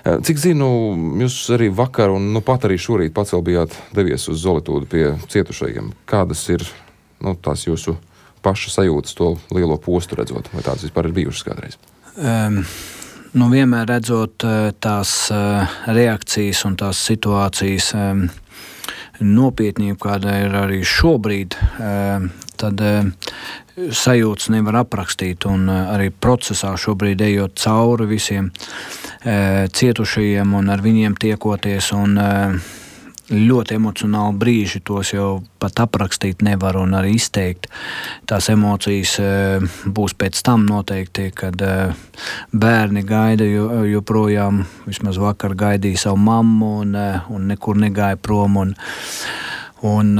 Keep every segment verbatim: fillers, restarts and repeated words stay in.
Cik zinu, jūs arī vakar un nu pat arī šorīt pats vēl bijāt devies uz Zolitūdu pie cietušajiem. Kādas ir nu, tās jūsu paša sajūtas to lielo postu redzot, vai tādas vispār ir bijušas kādreiz? Um. Nu, vienmēr redzot tās reakcijas un tās situācijas nopietnību, kāda ir arī šobrīd, tad sajūtas nevar aprakstīt. Un arī procesā šobrīd ejot cauri visiem cietušajiem un ar viņiem tiekoties un ļoti emocionāli brīži, tos jau pat aprakstīt nevar un arī izteikt. Tās emocijas būs pēc tam noteikti, kad bērni gaida joprojām, vismaz vakar gaidīja savu mammu un, un nekur negāja prom. Un, un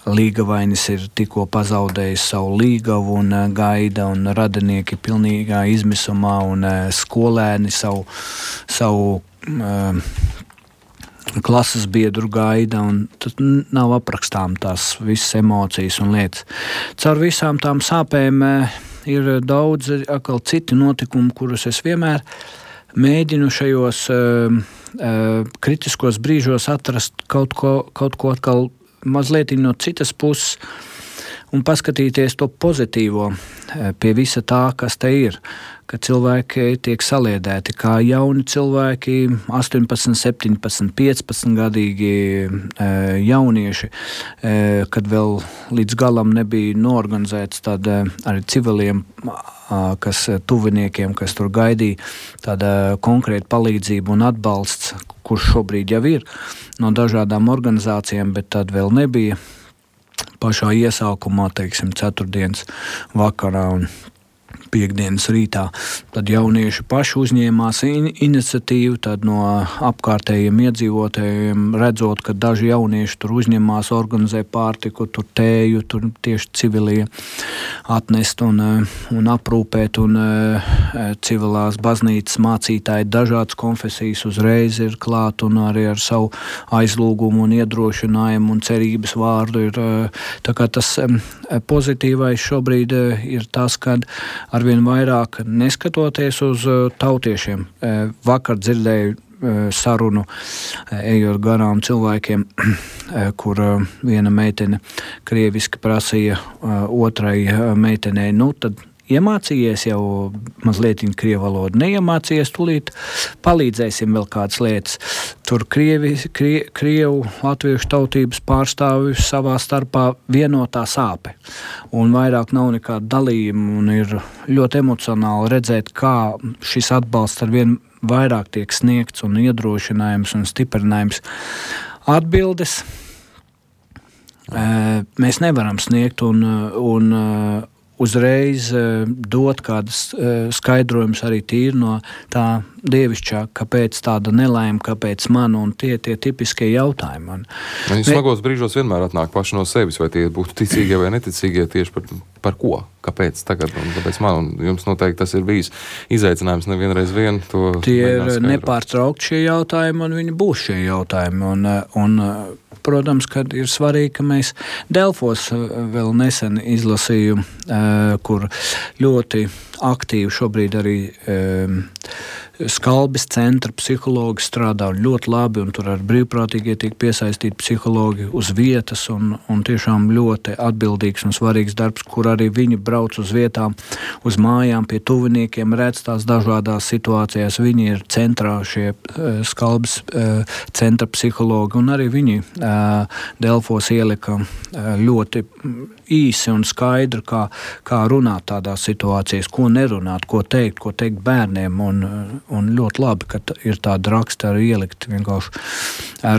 līgavainis ir tikko pazaudējis savu līgavu un gaida, un radinieki pilnīgā izmisumā, un skolēni savu, savu klases biedru gaida, un tad nav aprakstām tās visas emocijas un lietas. Caur visām tām sāpēm ir daudz atkal citi notikumi, kurus es vienmēr mēģinu šajos uh, uh, kritiskos brīžos atrast kaut ko, kaut ko atkal mazliet no citas puses un paskatīties to pozitīvo pie visa tā, kas te ir. Kad cilvēki tiek saliedēti, kā jauni cilvēki, astoņpadsmit, septiņpadsmit, piecpadsmit gadīgi jaunieši, kad vēl līdz galam nebija noorganizēts tad arī civiliem, kas tuviniekiem, kas tur gaidīja, tāda konkrēta palīdzība un atbalsts, kurš šobrīd jau ir no dažādām organizācijām, bet tad vēl nebija pašā iesākumā, teiksim, ceturtdienas vakarā un piekdienas rītā. Tad jaunieši paši uzņēmās in- iniciatīvu, tad no apkārtējiem iedzīvotājiem redzot, ka daži jaunieši tur uzņemās, organizē pārtiku, tur tēju, tur tieši civilie atnest un, un aprūpēt, un civilās baznīcas mācītāji dažādas konfesijas uzreiz ir klāt un arī ar savu aizlūgumu un iedrošinājumu un cerības vārdu ir. Tā kā tas pozitīvais šobrīd ir tas, kad arvien vairāk neskatoties uz tautiešiem. Vakar dzirdēju sarunu, ejot garām cilvēkiem, kur viena meitene krieviski prasīja otrai meitenei, nu tad iemācījies jau mazliet krievu valodu, neiemācījies, tūlīt palīdzēsim vēl kādas lietas. Tur krievi, krie, krievu latviešu tautības pārstāvju savā starpā vienotā sāpe. Un vairāk nav nekāda dalījuma un ir ļoti emocionāli redzēt, kā šis atbalsts ar vien vairāk tiek sniegts un iedrošinājums un stiprinājums. Atbildes mēs nevaram sniegt un, un uzreiz dot kādas skaidrojumus arī tīri no tā dievišķā, kāpēc tāda nelaime, kāpēc man, un tie tie tipiskie jautājumi. Un, Viņi smagos brīžos vienmēr atnāk paši no sevis, vai tie būtu ticīgie vai neticīgie, tieši par, par ko, kāpēc tagad un kāpēc man, un jums noteikti tas ir bijis izaicinājums nevienreiz vien. To tie ir nepārtraukti šie jautājumi, un viņi būs šie jautājumi, un, un protams, kad ir svarīgi, ka mēs Delfos vēl nesen izlasīju, kur ļoti aktīvi šobrīd arī um, Skalbes centra psihologi strādā ļoti labi, un tur ar brīvprātīgie tiek piesaistīti psihologi uz vietas, un, un tiešām ļoti atbildīgs un svarīgs darbs, kur arī viņi brauc uz vietām, uz mājām pie tuviniekiem, redz tās dažādās situācijās. Viņi ir centrā šie uh, Skalbes uh, centra psihologi, un arī viņi uh, Delfos ielika uh, ļoti īsi un skaidri, kā, kā runāt tādās situācijās, ko nerunāt, ko teikt, ko teikt bērniem, un Un ļoti labi, ka ir tāda raksta arī ielikt vienkārši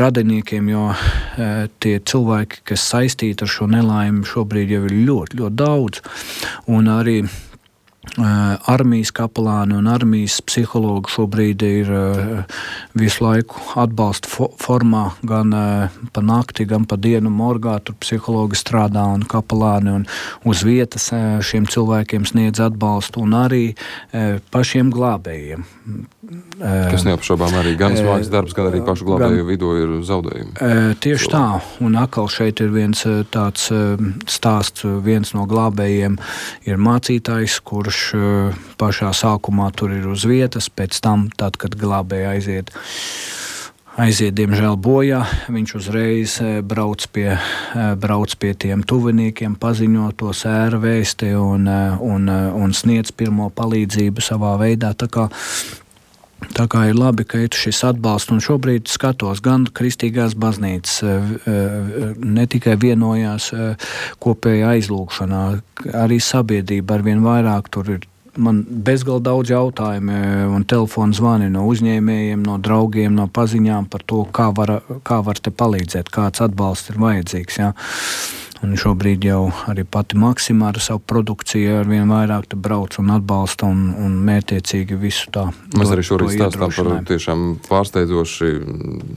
radiniekiem, jo tie cilvēki, kas saistīti ar šo nelaimi, šobrīd jau ir ļoti, ļoti daudz. Un arī armijas kapelāni un armijas psihologi šobrīd ir visu laiku atbalsta formā, gan pa nakti, gan pa dienu morgā. Tur psihologi strādā un kapelāni un uz vietas šiem cilvēkiem sniedz atbalstu, un arī pašiem glābējiem. Kas neapšaubām arī gan smags darbs, gan arī pašu glābēju vidū ir zaudējumi. Tieši tā, un atkal šeit ir viens tāds stāsts, viens no glābējiem ir mācītājs, kurš paš, pašā sākumā tur ir uz vietas, pēc tam, tad, kad glābēji aiziet, aiziet, diemžēl, bojā, viņš uzreiz brauc pie, brauc pie tiem tuviniekiem, paziņo to sēra vēsti un, un, un sniedz pirmo palīdzību savā veidā. Tā kā, tā kā ir labi, ka ir šis atbalsts, un šobrīd skatos gan kristīgās baznīcas, ne tikai vienojās kopējā aizlūgšanā, arī sabiedrība arvien vairāk tur ir. Man bezgalīgi daudz jautājumu un telefonu zvani no uzņēmējiem, no draugiem, no paziņām par to, kā var, kā var te palīdzēt, kāds atbalsts ir vajadzīgs. Ja? Un šobrīd jau arī pati Maksima ar savu produkciju ar vien vairāk brauc un atbalsta un, un mērķiecīgi visu tā. Mēs arī šorīt stāstām par tiešām pārsteidzoši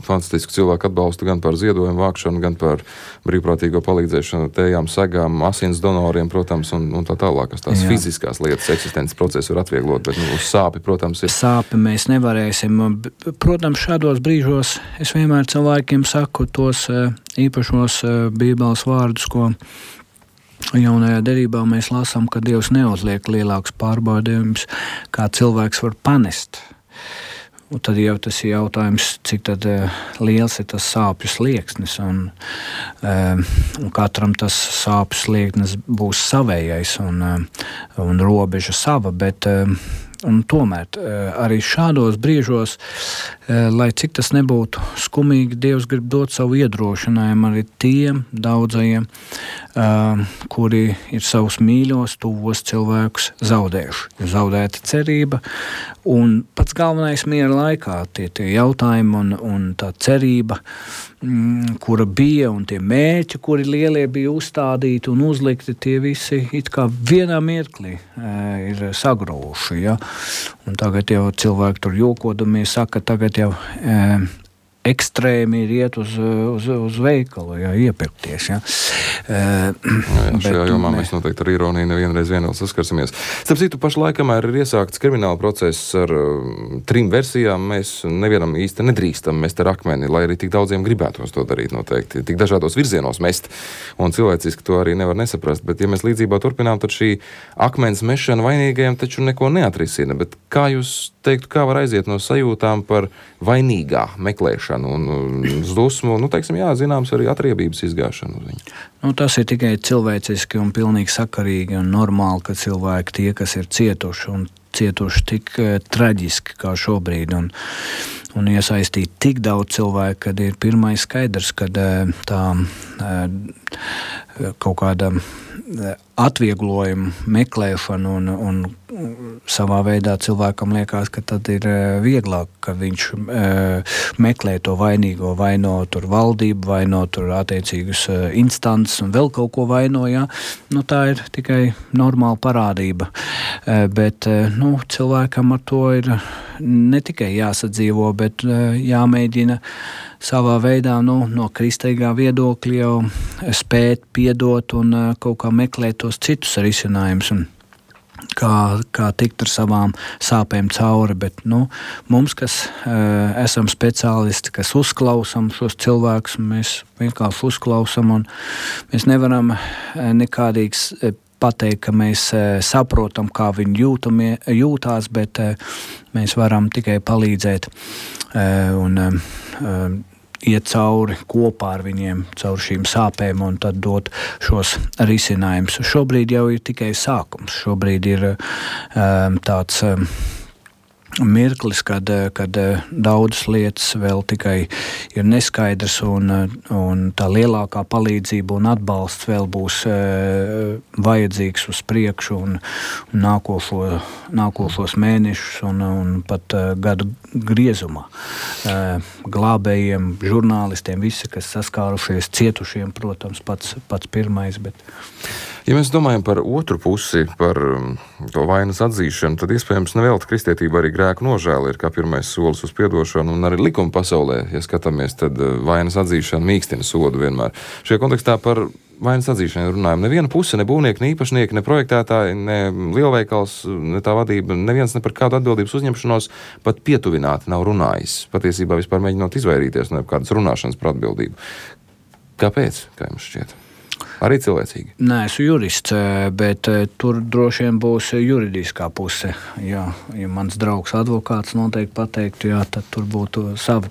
fantastisku cilvēku atbalstu gan par ziedojumu vākšanu, gan par brīvprātīgo palīdzēšanu tējām, segām, asins donoriem, protams, un, un tā tālāk, kas tās Jā. Fiziskās lietas, eksistences procesu var atvieglot, bet nu, uz sāpi, protams, ir. Sāpi mēs nevarēsim. Protams, šādos brīžos es vienmēr cilvēkiem saku tos īpašos Bībeles vārdus, ko jaunajā derībā mēs lasām, ka Dievs neuzliek lielāks pārbaudījums, kā cilvēks var panest. Un tad jau tas ir jautājums, cik tad uh, liels ir tas sāpju slieksnis, un, uh, un katram tas sāpju slieksnis būs savējais un, uh, un robeža sava, bet uh, un tomēr arī šādos brīžos, lai cik tas nebūtu skumīgi, Dievs grib dot savu iedrošinājumu arī tiem daudzajiem, kuri ir savus mīļos, tuvos cilvēkus zaudējuši. Ir zaudēta cerība, un pats galvenais miera laikā tie, tie jautājumi un, un tā cerība, kura bija, un tie mērķi, kuri lielie bija uzstādīti un uzlikti, tie visi it kā vienā mirklī ir sagrūši, ja? Un tagad jau cilvēki tur jokodamies saka, tagad jau e, ekstrēmi ir iet uz, uz, uz veikalu, jā, iepirkties. Jā. E, jā, šajā jomā ne... mēs noteikti ar ironiju nevienreiz vien vēl saskarsimies. Starp citu, pašlaikamā ir iesākts krimināla process ar uh, trim versijām. Mēs nevienam īsti nedrīkstam mest ar akmeni, lai arī tik daudziem gribētos to darīt noteikti. Tik dažādos virzienos mest, un cilvēciski to arī nevar nesaprast. Bet, ja mēs līdzībā turpinām, tad šī akmens mešana vainīgajiem taču neko neatrisina. Bet kā jūs teiktu, kā var aiziet no sajūtām par vainīgā meklēšanu un uz dusmu, nu, teiksim, jā, zināms, arī atriebības izgāšanu uz viņu? Nu, tas ir tikai cilvēciski un pilnīgi sakarīgi un normāli, ka cilvēki tie, kas ir cietuši un cietuši tik uh, traģiski kā šobrīd un, un iesaistīt tik daudz cilvēku, kad ir pirmais skaidrs, kad uh, tā uh, kaut kāda atvieglojuma meklēšana un, un savā veidā cilvēkam liekas, ka tad ir vieglāk, ka viņš e, meklē to vainīgo, vaino tur valdību, vaino tur attiecīgus instances un vēl kaut ko vaino, jā. Nu, tā ir tikai normāla parādība. E, bet, e, nu, cilvēkam ar to ir ne tikai jāsadzīvo, bet e, jāmēģina savā veidā, nu, no kristīgā viedokļa jau spēt piedot un uh, kaut kā meklēt tos citus risinājumus un kā, kā tikt ar savām sāpēm cauri. Bet, nu, mums, kas uh, esam speciālisti, kas uzklausam šos cilvēkus, mēs vienkārši uzklausam un mēs nevaram uh, nekādīgs uh, pateikt, ka mēs uh, saprotam, kā viņi jūtamie, jūtās, bet uh, mēs varam tikai palīdzēt uh, un uh, iet cauri kopā ar viņiem, cauri šīm sāpēm un tad dot šos risinājumus. Šobrīd jau ir tikai sākums. Šobrīd ir um, tāds um, mirklis, kad, kad daudzas lietas vēl tikai ir neskaidrs un, un tā lielākā palīdzība un atbalsts vēl būs uh, vajadzīgs uz priekšu un, un nākošo, nākošos mēnešus un, un pat uh, gadu griezumā. Uh, glābējiem, žurnālistiem, visi, kas saskārušies, cietušiem, protams, pats, pats pirmais, bet... Ja mēs domājam par otru pusi, par to vainas atzīšanu, tad iespējams nevelti kristietība arī grēku nožēla ir kā pirmais solis uz piedošanu, un arī likuma pasaulē, ja skatāmies, tad vainas atzīšana mīkstina sodu vienmēr. Šajā kontekstā par vainas atzīšanu runājam. Neviena puse, ne būvnieki, ne īpašnieki, ne projektētāji, ne lielveikals, ne tā vadība, neviens ne par kādu atbildības uzņemšanos pat pietuvināti nav runājis. Patiesībā vispār mēģinot izvairīties no kādas runāšanas par atbildību. Kāpēc, kā jums šķiet? Arī cilvēcīgi? Nē, esmu jurists, bet tur droši vien būs juridiskā puse. Jā, ja mans draugs advokāts noteikti pateiktu, jā, tad tur būtu savi,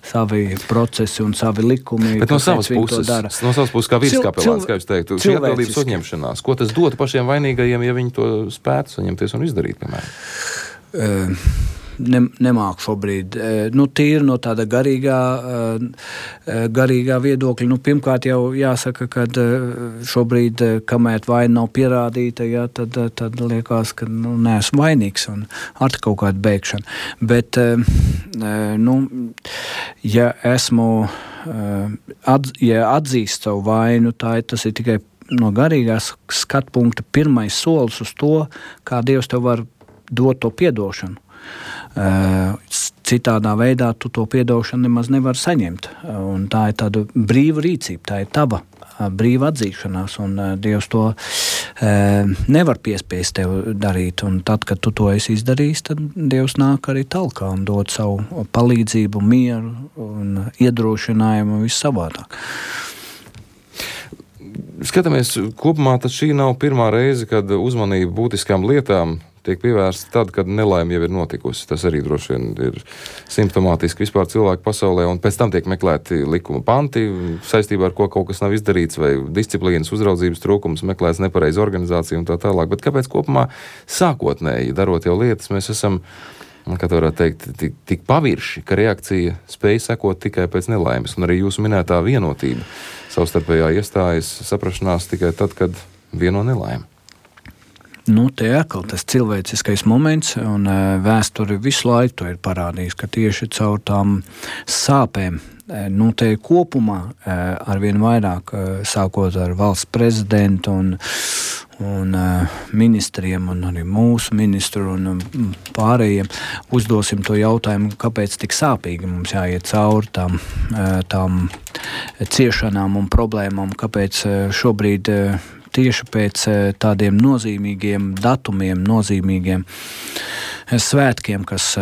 savi procesi un savi likumi. Bet no savas puses, no savas puses kā vīriskapelāns, kā jūs teiktu, šī atbildības uzņemšanās, ko tas dotu pašiem vainīgajiem, ja viņi to spētu saņemties un izdarīt, piemēram? Uh, Ne, nemāku šobrīd. Nu, tīri no tāda garīgā, garīgā viedokļa. Nu, pirmkārt jau jāsaka, ka šobrīd, kamēr vaina nav pierādīta, jā, tad, tad liekas, ka nu, neesmu vainīgs un ar kaut kādu beigšanu. Bet, nu, ja esmu, atz, ja atzīst savu vainu, tā ir, tas ir tikai no garīgās skatpunkta pirmais solis uz to, kā Dievs tev var dot to piedošanu. Citādā veidā tu to piedošanu nemaz nevar saņemt. Un tā ir tāda brīva rīcība, tā ir tava brīva atzīšanās, un Dievs to nevar piespiest tev darīt. Un tad, kad tu to esi izdarījis, tad Dievs nāk arī talkā un dod savu palīdzību, mieru un iedrošinājumu un viss savādāk. Skatāmies, kopumā tad šī nav pirmā reize, kad uzmanība būtiskām lietām tiek pievērsta tad, kad nelaime jau ir notikusi. Tas arī droši vien ir simptomātiski vispār cilvēku pasaulē, un pēc tam tiek meklēti likuma panti saistībā ar ko kaut kas nav izdarīts, vai disciplīnas uzraudzības trūkums, meklēts nepareiza organizācija un tā tālāk. Bet kāpēc kopumā sākotnēji, darot jau lietas, mēs esam, kā to varētu teikt, tik, tik pavirši, ka reakcija spēj sekot tikai pēc nelaimes, un arī jūsu minētā vienotība savstarpējā iestājas saprašanās tikai tad, kad vieno nelaime. Nu, te atkal tas cilvēciskais moments, un uh, vēsture visu laiku to ir parādījis, ka tieši caur tām sāpēm, uh, nu, te kopumā uh, arvien vairāk, uh, sākot ar valsts prezidentu un, un uh, ministriem, un arī mūsu ministru un um, pārējiem, uzdosim to jautājumu, kāpēc tik sāpīgi mums jāiet cauri tām, uh, tām ciešanām un problēmām, kāpēc uh, šobrīd uh, tieši pēc tādiem nozīmīgiem datumiem, nozīmīgiem svētkiem, kas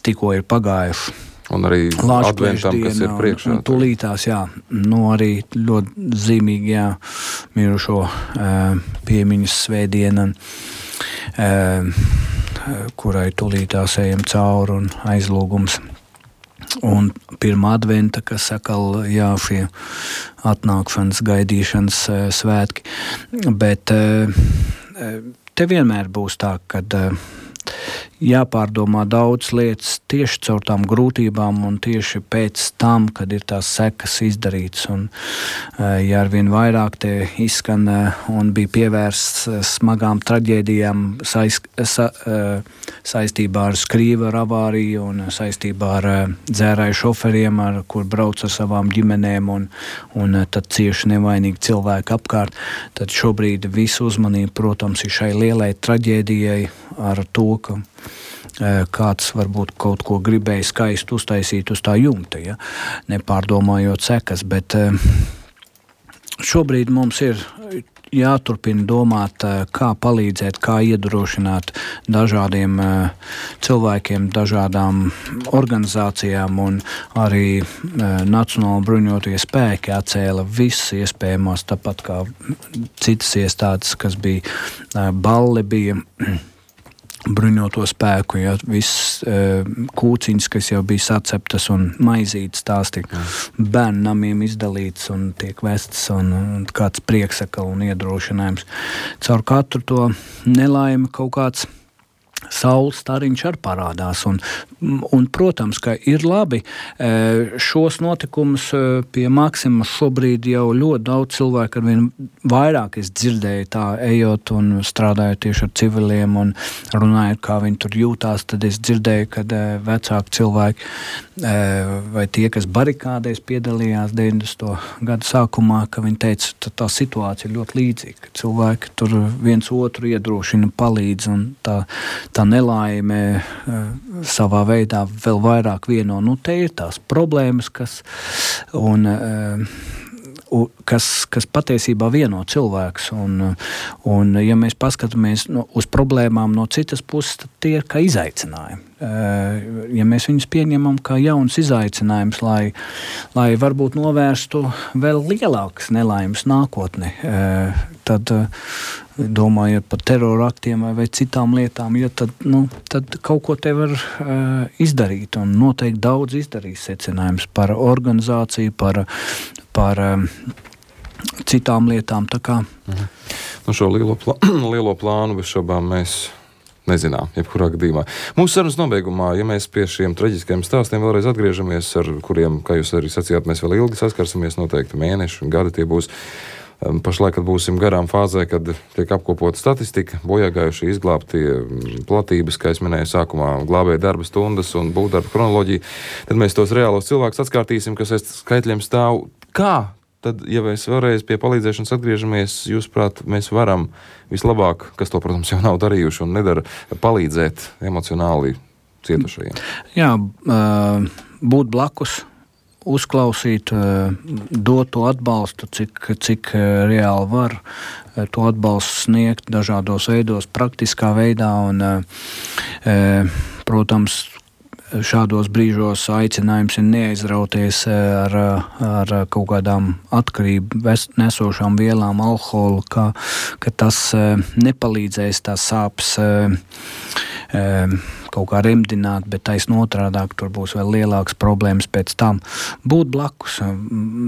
tikko ir pagājuši. Un arī adventam, kas ir priekšā. Un tūlītās, jā, nu arī ļoti zīmīgi, jā, mirušo piemiņas svētdiena, kurai tūlītās ejam cauri un aizlūgums. Un pirmā adventa, kas sakal, jā, šie atnākšanas, gaidīšanas e, svētki. Bet e, te vienmēr būs tā, kad e, jāpārdomā daudz lietas tieši caur tām grūtībām un tieši pēc tam, kad ir tās sekas izdarītas. Un, ja arvien vairāk te izskan un bija pievērsts smagām traģēdijām saist, sa, saistībā ar skrīveru avāriju un saistībā ar dzērāju šoferiem, ar kur brauc ar savām ģimenēm un, un tad cieši nevainīgi cilvēki apkārt, tad šobrīd visu uzmanību, protams, ir šai lielai traģēdijai ar to, ka kāds varbūt kaut ko gribēja skaisti uztaisīt uz tā jumta, ja? Nepārdomājot sekas, bet šobrīd mums ir jāturpina domāt, kā palīdzēt, kā iedrošināt dažādiem cilvēkiem, dažādām organizācijām, un arī Nacionāli bruņotie spēki atcēla visas iespējamās, tāpat kā citas iestādes, kas bija balli, bija bruņoto spēku, ja, viss e, kūciņas, kas jau bija saceptas un maizītes, tās tiek bērnu namiem izdalīts un tiek vestas un, un kāds prieksakal un iedrošinājums. Caur katru to nelaimi kaut kāds saules stariņš arī parādās. Un, un, protams, ka ir labi šos notikumus pie Maksimas šobrīd jau ļoti daudz cilvēku ar vien vairāk es dzirdēju tā, ejot un strādājot tieši ar civiliem un runājot, kā viņi tur jūtās, tad es dzirdēju, kad vecāki cilvēki vai tie, kas barikādēs piedalījās deviņdesmito gadu sākumā, ka viņi teica, ka tā situācija ir ļoti līdzīga, ka cilvēki tur viens otru iedrošina, palīdz un tā tā nelaime uh, savā veidā vēl vairāk vieno. Nu, te ir tās problēmas, kas un uh, kas, kas patiesībā vieno cilvēks. Un, un ja mēs paskatāmies no, uz problēmām no citas puses, tad tie ir kā izaicinājumi. Ja mēs viņus pieņemam kā jauns izaicinājums, lai, lai varbūt novērstu vēl lielākas nelaimes nākotnē, tad domājot par teroraktiem vai, vai citām lietām, ja tad, nu, tad kaut ko te var izdarīt un noteikti daudz izdarīs secinājums par organizāciju, par, par citām lietām. Tā kā. Mhm. Nu, šo lielo, plā, lielo plānu bez šobām mēs nezinām, jebkurā gadījumā. Mūsu sarunas nobeigumā, ja mēs pie šiem traģiskajiem stāstiem vēlreiz atgriežamies, ar kuriem, kā jūs arī sacījāt, mēs vēl ilgi saskarsimies, noteikti mēneši un gadi tie būs. Pašlaik, kad būsim garām fāzē, kad tiek apkopota statistika, bojāgājuši izglābtie platības, kā es minēju sākumā, glābēja darba stundas un būvdarba kronoloģija, tad mēs tos reālos cilvēkus atskārtīsim, kas aiz skaitļiem stāv. Kā? Tad, ja mēs vēlreiz pie palīdzēšanas atgriežamies, jūsuprāt, mēs varam vislabāk, kas to, protams, jau nav darījuši un nedara, palīdzēt emocionāli cietušajiem? Jā, būt blakus, uzklausīt, dot to atbalstu, cik, cik reāli var to atbalstu sniegt dažādos veidos, praktiskā veidā un, protams, šādos brīžos aicinājums ir neaizrauties ar, ar kaut kādām atkarību nesošām vielām, alkoholu, ka, ka tas nepalīdzēs tās sāpes kaut kā remdināt, bet taisn otrādāk tur būs vēl lielākas problēmas pēc tam. Būt blakus,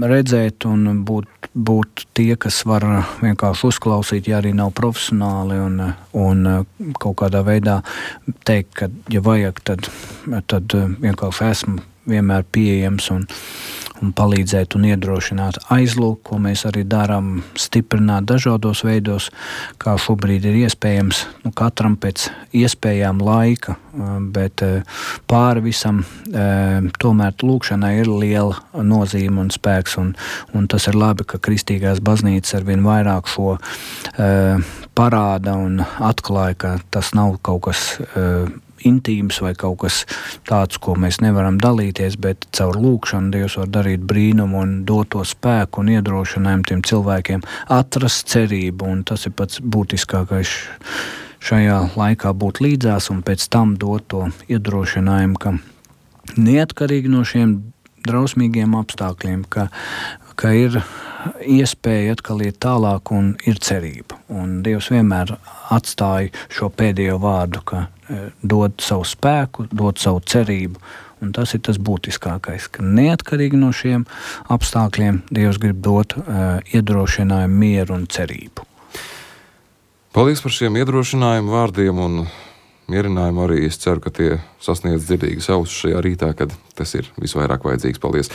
redzēt un būt, būt tie, kas var vienkārši uzklausīt, ja arī nav profesionāli un, un kaut kādā veidā teikt, ka, ja vajag, tad, tad vienkārši esmu vienmēr pieejams un, un palīdzēt un iedrošināt aizlūk, ko mēs arī darām, stiprināt dažādos veidos, kā šobrīd ir iespējams, nu, katram pēc iespējām laika, bet pāri visam tomēr lūkšanai ir liela nozīme un spēks, un, un tas ir labi, ka kristīgās baznīcas arvien vairāk šo parāda un atklāja, ka tas nav kaut kas intīms vai kaut kas tāds, ko mēs nevaram dalīties, bet caur lūkšanu Dievs var darīt brīnumu un dot to spēku un iedrošinājumu tiem cilvēkiem atrast cerību, un tas ir pats būtiskākais šajā laikā būt līdzās un pēc tam dot to iedrošinājumu, ka neatkarīgi no šiem drausmīgiem apstākļiem, ka, ka ir iespēja atkal iet tālāk un ir cerība. Un Dievs vienmēr atstāja šo pēdējo vārdu, ka dod savu spēku, dod savu cerību, un tas ir tas būtiskākais, ka neatkarīgi no šiem apstākļiem Dievs grib dot uh, iedrošinājumu, mieru un cerību. Paldies par šiem iedrošinājumu vārdiem un mierinājumu arī. Es ceru, ka tie sasniedz dzirdīgas ausis šajā rītā, kad tas ir visvairāk vajadzīgs. Paldies!